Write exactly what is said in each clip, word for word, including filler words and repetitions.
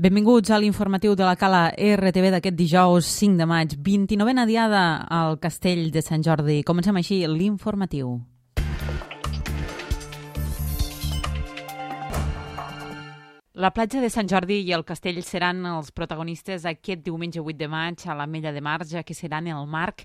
Benvinguts a l'informatiu de la Cala R T V d'aquest dijous cinc de maig, vint-i-novena diada al Castell de Sant Jordi. Comencem així l'informatiu. La platja de Sant Jordi i el castell seran els protagonistes aquest diumenge vuit de maig a l'Ametlla de Mar, ja que seran el marc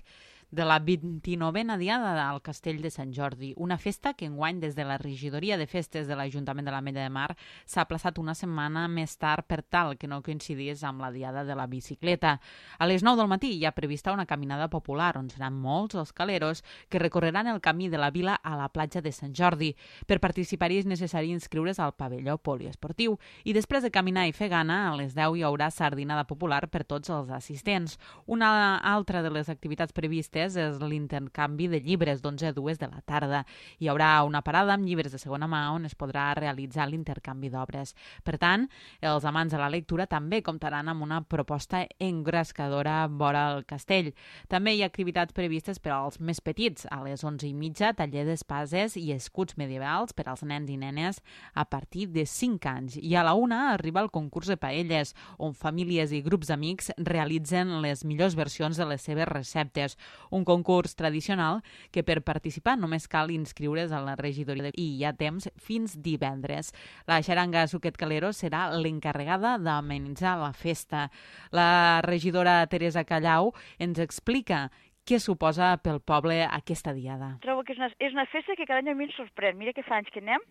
de la vint-i-novena diada al Castell de Sant Jordi, una festa que enguany des de la regidoria de festes de l'Ajuntament de l'Ametlla de Mar s'ha aplaçat una setmana més tard per tal que no coincidís amb la diada de la bicicleta. A les nou del matí hi ha prevista una caminada popular on seran molts els caleros que recorreran el camí de la vila a la platja de Sant Jordi. Per participar-hi és necessari inscriure's al pavelló poliesportiu i després de caminar i fer gana, a les deu hi haurà sardinada popular per tots els assistents. Una altra de les activitats previstes és l'intercanvi de llibres d'onze a dues de la tarda. Hi haurà una parada amb llibres de segona mà on es podrà realitzar l'intercanvi d'obres. Per tant, els amants de la lectura també comptaran amb una proposta engrescadora vora el castell. També hi ha activitats previstes per als més petits. A les onze i mitja, taller d'espases i escuts medievals per als nens i nenes a partir de cinc anys. I a la una arriba el concurs de paelles, on famílies i grups d'amics realitzen les millors versions de les seves receptes. Un concurs tradicional que per participar només cal inscriure's a la regidoria i hi ha temps fins divendres. La xaranga Suquet Calero serà l'encarregada d'amenitzar la festa. La regidora Teresa Callau ens explica què suposa pel poble aquesta diada. Trobo que és una, és una festa que cada any a mi em sorprèn. Mira que fa anys que anem,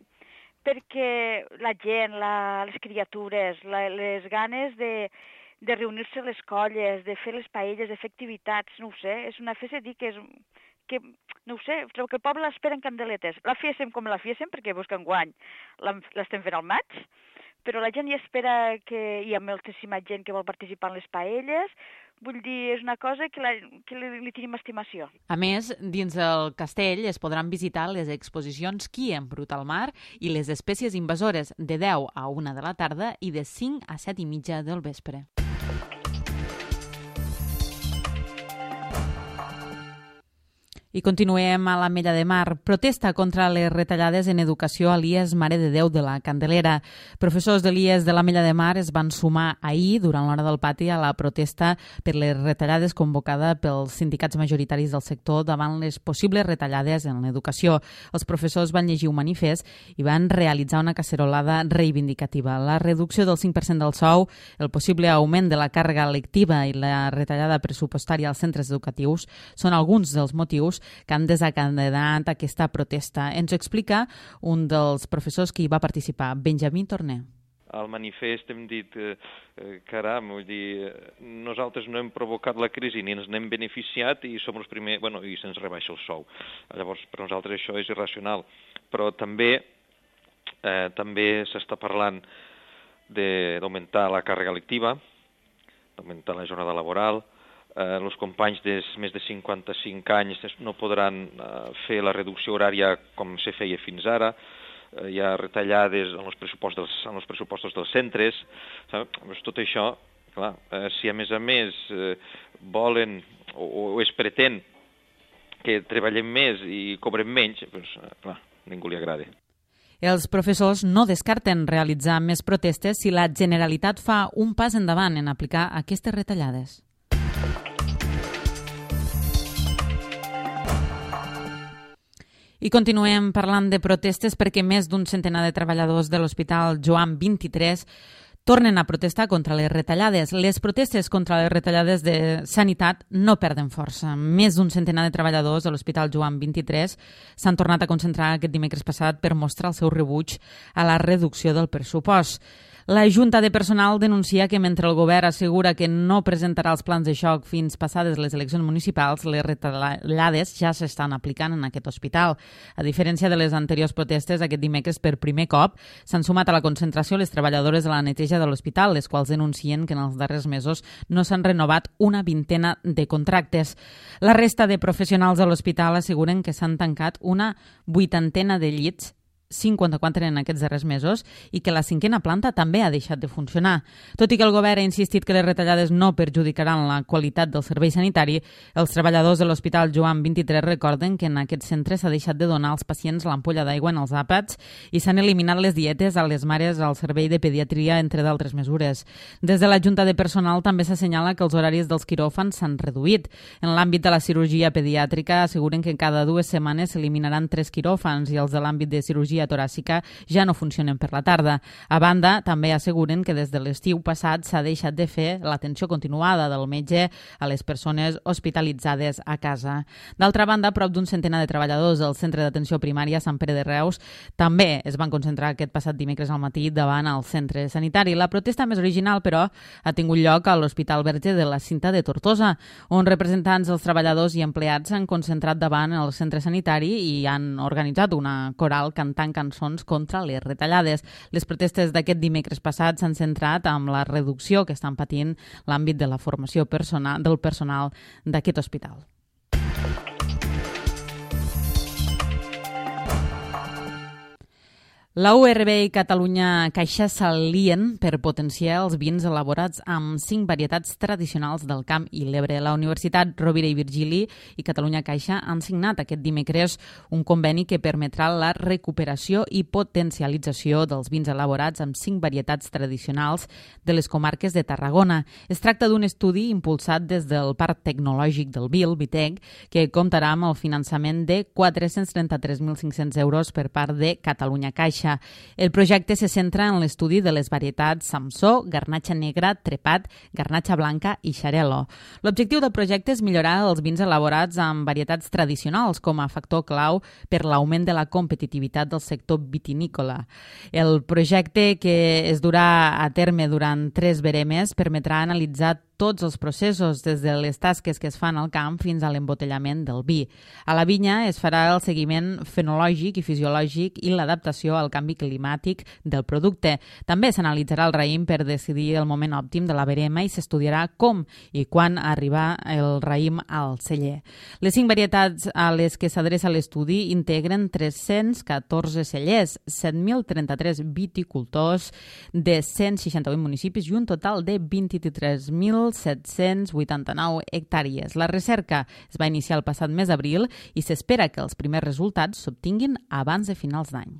perquè la gent, la, les criatures, la, les ganes de... de reunir-se les colles, de fer les paelles, de fer activitats, no ho sé, és una festa, dic, que és, que, no ho sé, trobo que el poble l'espera en candeletes. La fiesem com la fiesem, perquè busca enguany l'estem fent al maig, però la gent hi espera que hi ha moltíssima gent que vol participar en les paelles, vull dir, és una cosa que, la, que li, li tenim estimació. A més, dins del castell es podran visitar les exposicions Qui embruta el mar i les espècies invasores de deu a una de la tarda i de cinc a set i mitja del vespre. I continuem a l'Ametlla de Mar. Protesta contra les retallades en educació a l'I E S Mare de Déu de la Candelera. Professors de l'I E S de l'Ametlla de Mar es van sumar ahir, durant l'hora del pati, a la protesta per les retallades convocada pels sindicats majoritaris del sector davant les possibles retallades en l'educació. Els professors van llegir un manifest i van realitzar una cacerolada reivindicativa. La reducció del cinc per cent del sou, el possible augment de la càrrega lectiva i la retallada pressupostària als centres educatius són alguns dels motius que han desencadenat aquesta protesta. Ens ho explica un dels professors que hi va participar, Benjamí Torner. Al manifest hem dit, eh, caram, vull dir, nosaltres no hem provocat la crisi ni ens n'hem beneficiat i som els primers, bueno, i se'ns rebaixa el sou. Llavors, per nosaltres això és irracional. Però també, eh, també s'està parlant d'augmentar la càrrega lectiva, d'augmentar la jornada laboral. Eh, els companys de més de cinquanta-cinc anys no podran eh, fer la reducció horària com se feia fins ara. Eh, hi ha retallades en els pressupostos dels, en els pressupostos dels centres. Saps? Tot això, clar, eh, si a més a més eh, volen o, o es pretén que treballem més i cobrem menys, doncs, eh, clar, a ningú li agrada. Els professors no descarten realitzar més protestes si la Generalitat fa un pas endavant en aplicar aquestes retallades. I continuem parlant de protestes perquè més d'un centenar de treballadors de l'Hospital Joan vint-i-tres tornen a protestar contra les retallades. Les protestes contra les retallades de sanitat no perden força. Més d'un centenar de treballadors de l'Hospital Joan vint-i-tres s'han tornat a concentrar aquest dimecres passat per mostrar el seu rebuig a la reducció del pressupost. La Junta de Personal denuncia que mentre el govern assegura que no presentarà els plans de xoc fins passades les eleccions municipals, les retallades ja s'estan aplicant en aquest hospital. A diferència de les anteriors protestes, aquest dimecres per primer cop s'han sumat a la concentració les treballadores de la neteja de l'hospital, les quals denuncien que en els darrers mesos no s'han renovat una vintena de contractes. La resta de professionals de l'hospital asseguren que s'han tancat una vuitantena de llits cinquanta-quatre en aquests darrers mesos i que la cinquena planta també ha deixat de funcionar. Tot i que el govern ha insistit que les retallades no perjudicaran la qualitat del servei sanitari, els treballadors de l'Hospital Joan vint-i-tres recorden que en aquest centre s'ha deixat de donar als pacients l'ampolla d'aigua en els àpats i s'han eliminat les dietes a les mares al servei de pediatria, entre d'altres mesures. Des de la Junta de Personal també s'assenyala que els horaris dels quiròfans s'han reduït. En l'àmbit de la cirurgia pediàtrica asseguren que cada dues setmanes s'eliminaran tres quiròfans i els de l'àmbit de cirurgia toràcica ja no funcionen per la tarda. A banda, també asseguren que des de l'estiu passat s'ha deixat de fer l'atenció continuada del metge a les persones hospitalitzades a casa. D'altra banda, prop d'un centenar de treballadors del Centre d'Atenció Primària Sant Pere de Reus també es van concentrar aquest passat dimecres al matí davant el centre sanitari. La protesta més original, però, ha tingut lloc a l'Hospital Verge de la Cinta de Tortosa, on representants dels treballadors i empleats s'han concentrat davant el centre sanitari i han organitzat una coral cantant cançons contra les retallades. Les protestes d'aquest dimecres passat s'han centrat amb la reducció que estan patint l'àmbit de la formació personal, del personal d'aquest hospital. La U R B i Catalunya Caixa s'alien per potenciar els vins elaborats amb cinc varietats tradicionals del Camp i l'Ebre. La Universitat Rovira i Virgili i Catalunya Caixa han signat aquest dimecres un conveni que permetrà la recuperació i potencialització dels vins elaborats amb cinc varietats tradicionals de les comarques de Tarragona. Es tracta d'un estudi impulsat des del Parc Tecnològic del Vil, Vitec, que comptarà amb el finançament de quatre-cents trenta-tres mil cinc-cents euros per part de Catalunya Caixa. El projecte se centra en l'estudi de les varietats Samsó, Garnatxa Negra, Trepat, Garnatxa Blanca i Xarel·lo. L'objectiu del projecte és millorar els vins elaborats amb varietats tradicionals com a factor clau per l'augment de la competitivitat del sector vitinícola. El projecte, que es durà a terme durant tres veremes, permetrà analitzar tots els processos, des de les tasques que es fan al camp fins a l'embotellament del vi. A la vinya es farà el seguiment fenològic i fisiològic i l'adaptació al canvi climàtic del producte. També s'analitzarà el raïm per decidir el moment òptim de la verema i s'estudiarà com i quan arribar el raïm al celler. Les cinc varietats a les que s'adreça l'estudi integren tres-cents catorze cellers, set mil trenta-tres viticultors de cent seixanta-vuit municipis i un total de vint-i-tres mil set-cents vuitanta-nou hectàrees. La recerca es va iniciar el passat mes d'abril i s'espera que els primers resultats s'obtinguin abans de finals d'any.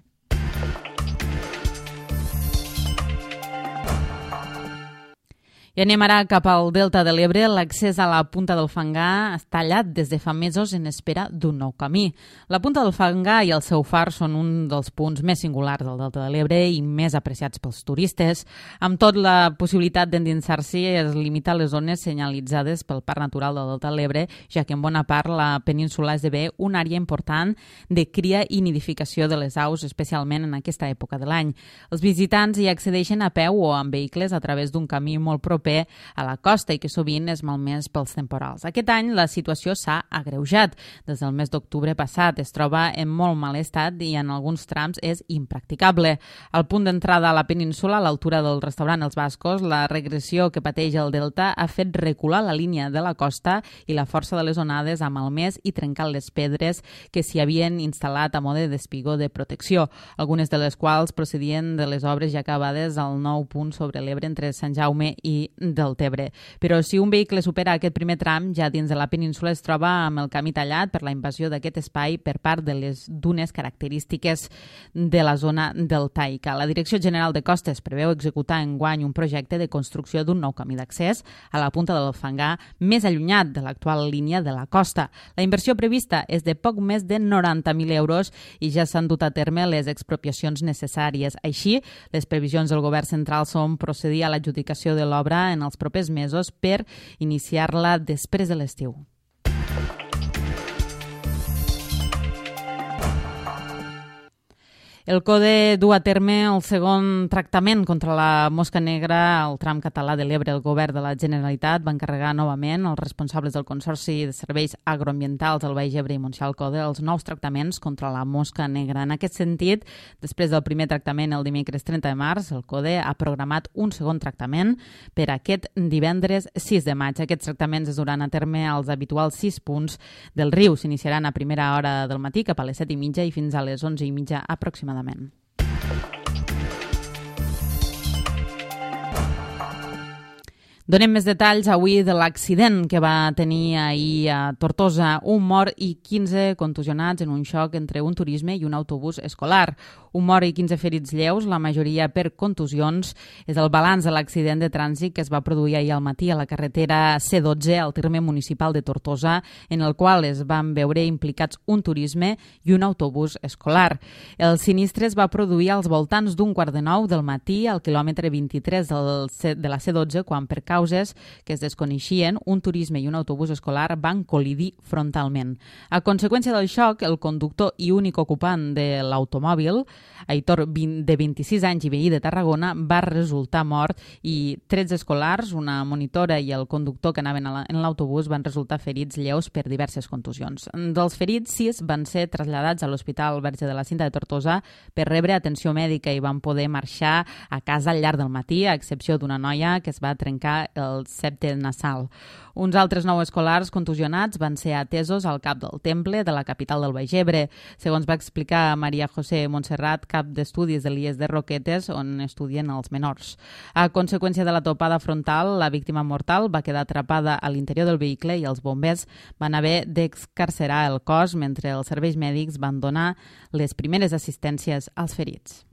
I anem ara cap al Delta de l'Ebre. L'accés a la Punta del Fangar està tallat des de fa mesos en espera d'un nou camí. La Punta del Fangar i el seu far són un dels punts més singulars del Delta de l'Ebre i més apreciats pels turistes. Amb tot, la possibilitat d'endinsar-s'hi es limita a les zones senyalitzades pel Parc Natural del Delta de l'Ebre, ja que en bona part la península esdevé una àrea important de cria i nidificació de les aus, especialment en aquesta època de l'any. Els visitants hi accedeixen a peu o amb vehicles a través d'un camí molt proper a la costa i que sovint és malmès pels temporals. Aquest any la situació s'ha agreujat. Des del mes d'octubre passat es troba en molt mal estat i en alguns trams és impracticable. Al punt d'entrada a la península, a l'altura del restaurant Els Bascos, la regressió que pateix el delta ha fet recular la línia de la costa i la força de les onades ha malmès i trencat les pedres que s'hi havien instal·lat a mode d'espigó de protecció, algunes de les quals procedien de les obres ja acabades al nou punt sobre l'Ebre entre Sant Jaume i del Tebre. Però si un vehicle supera aquest primer tram, ja dins de la península es troba amb el camí tallat per la invasió d'aquest espai per part de les dunes característiques de la zona deltaica. La Direcció General de Costes preveu executar enguany un projecte de construcció d'un nou camí d'accés a la Punta del Fangar més allunyat de l'actual línia de la costa. La inversió prevista és de poc més de noranta mil euros i ja s'han dut a terme les expropiacions necessàries. Així, les previsions del govern central són procedir a l'adjudicació de l'obra en els propers mesos per iniciar-la després de l'estiu. El CODE du a terme el segon tractament contra la mosca negra al tram català de l'Ebre. El govern de la Generalitat va encarregar novament als responsables del Consorci de Serveis Agroambientals del Baix Ebre i Montsià CODE els nous tractaments contra la mosca negra. En aquest sentit, després del primer tractament el dimecres trenta de març, el CODE ha programat un segon tractament per aquest divendres sis de maig. Aquests tractaments es duran a terme als habituals sis punts del riu. S'iniciaran a primera hora del matí cap a les set i mitja i fins a les onze i mitja aproximadament aproximadament. Donem més detalls avui de l'accident que va tenir ahir a Tortosa. Un mort i quinze contusionats en un xoc entre un turisme i un autobús escolar. Un mort i quinze ferits lleus, la majoria per contusions. És el balanç de l'accident de trànsit que es va produir ahir al matí a la carretera C dotze al terme municipal de Tortosa, en el qual es van veure implicats un turisme i un autobús escolar. El sinistre es va produir als voltants d'un quart de nou del matí al quilòmetre vint-i-tres del C, de la C dotze, quan per causes que es desconeixien, un turisme i un autobús escolar van col·lidir frontalment. A conseqüència del xoc, el conductor i únic ocupant de l'automòbil, Aitor, de vint-i-sis anys i veí de Tarragona, va resultar mort i tretze escolars, una monitora i el conductor que anaven en l'autobús van resultar ferits lleus per diverses contusions. Dels ferits, sis van ser traslladats a l'Hospital Verge de la Cinta de Tortosa per rebre atenció mèdica i van poder marxar a casa al llarg del matí, a excepció d'una noia que es va trencar el septe nasal. Uns altres nou escolars contusionats van ser atesos al cap del Temple de la capital del Baix Ebre, segons va explicar Maria José Montserrat, cap d'estudis de l'I E S de Roquetes, on estudien els menors. A conseqüència de la topada frontal, la víctima mortal va quedar atrapada a l'interior del vehicle i els bombers van haver d'excarcerar el cos mentre els serveis mèdics van donar les primeres assistències als ferits.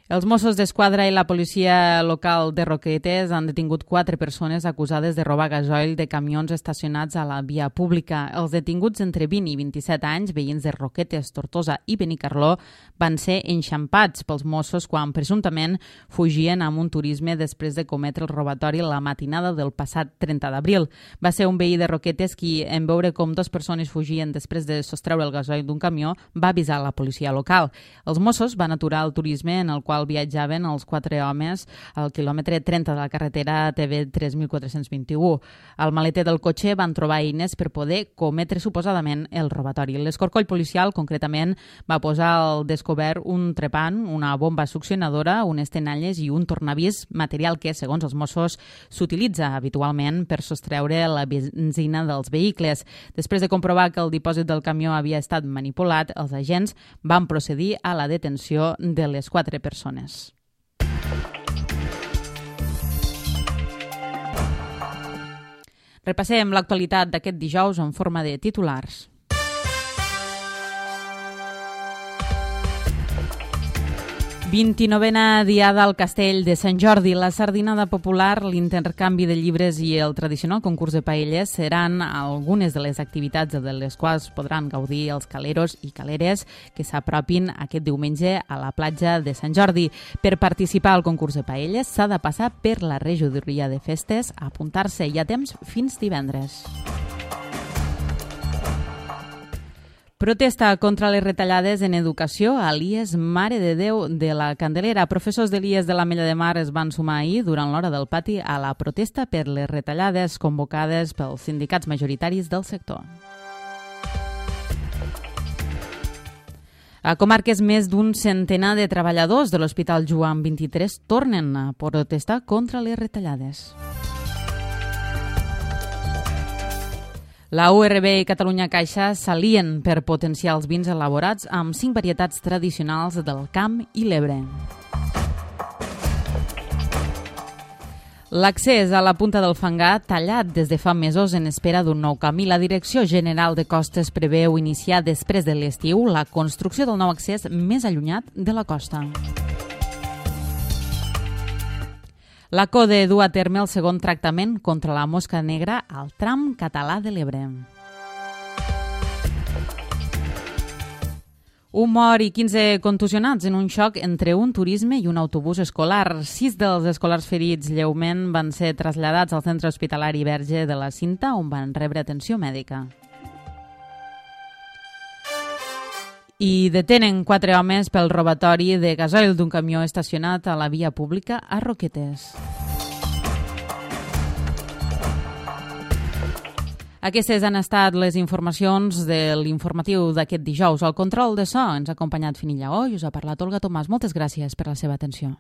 Els Mossos d'Esquadra i la policia local de Roquetes han detingut quatre persones acusades de robar gasoil de camions estacionats a la via pública. Els detinguts entre vint i vint-i-set anys, veïns de Roquetes, Tortosa i Benicarló, van ser enxampats pels Mossos quan presumptament fugien amb un turisme després de cometre el robatori la matinada del passat trenta d'abril. Va ser un veí de Roquetes qui, en veure com dues persones fugien després de sostreure el gasoil d'un camió, va avisar la policia local. Els Mossos van aturar el turisme en el qual viatjaven els quatre homes al quilòmetre trenta de la carretera T V tres mil quatre-cents vint-i-u. Al maleter del cotxe van trobar eines per poder cometre suposadament el robatori. L'escorcoll policial, concretament, va posar al descobert un trepant, una bomba succionadora, unes tenalles i un tornavís, material que, segons els Mossos, s'utilitza habitualment per sostreure la benzina dels vehicles. Després de comprovar que el dipòsit del camió havia estat manipulat, els agents van procedir a la detenció de les quatre persones. Repassem l'actualitat d'aquest dijous en forma de titulars. vint-i-novena diada al Castell de Sant Jordi. La sardinada popular, l'intercanvi de llibres i el tradicional concurs de paelles seran algunes de les activitats de les quals podran gaudir els caleros i caleres que s'apropin aquest diumenge a la platja de Sant Jordi. Per participar al concurs de paelles s'ha de passar per la regidoria de festes, a apuntar-se. Hi ha temps fins divendres. Protesta contra les retallades en educació a l'I E S Mare de Déu de la Candelera. Professors de l'I E S de l'Ametlla de Mar es van sumar ahir, durant l'hora del pati, a la protesta per les retallades convocades pels sindicats majoritaris del sector. A comarques, més d'un centenar de treballadors de l'Hospital Joan vint-i-tres tornen a protestar contra les retallades. La U R B i Catalunya Caixa s'alien per potenciar els vins elaborats amb cinc varietats tradicionals del Camp i l'Ebre. L'accés a la Punta del Fangar tallat des de fa mesos en espera d'un nou camí. La Direcció General de Costes preveu iniciar després de l'estiu la construcció del nou accés més allunyat de la costa. La CODE du a terme el segon tractament contra la mosca negra al tram català de l'Ebre. Un mort i quinze contusionats en un xoc entre un turisme i un autobús escolar. Sis dels escolars ferits lleument van ser traslladats al centre hospitalari Verge de la Cinta, on van rebre atenció mèdica. I detenen quatre homes pel robatori de gasoil d'un camió estacionat a la via pública a Roquetes. Aquestes han estat les informacions de l'informatiu d'aquest dijous. Al control de so ens ha acompanyat Finilla Lleó i us ha parlat Olga Tomàs. Moltes gràcies per la seva atenció.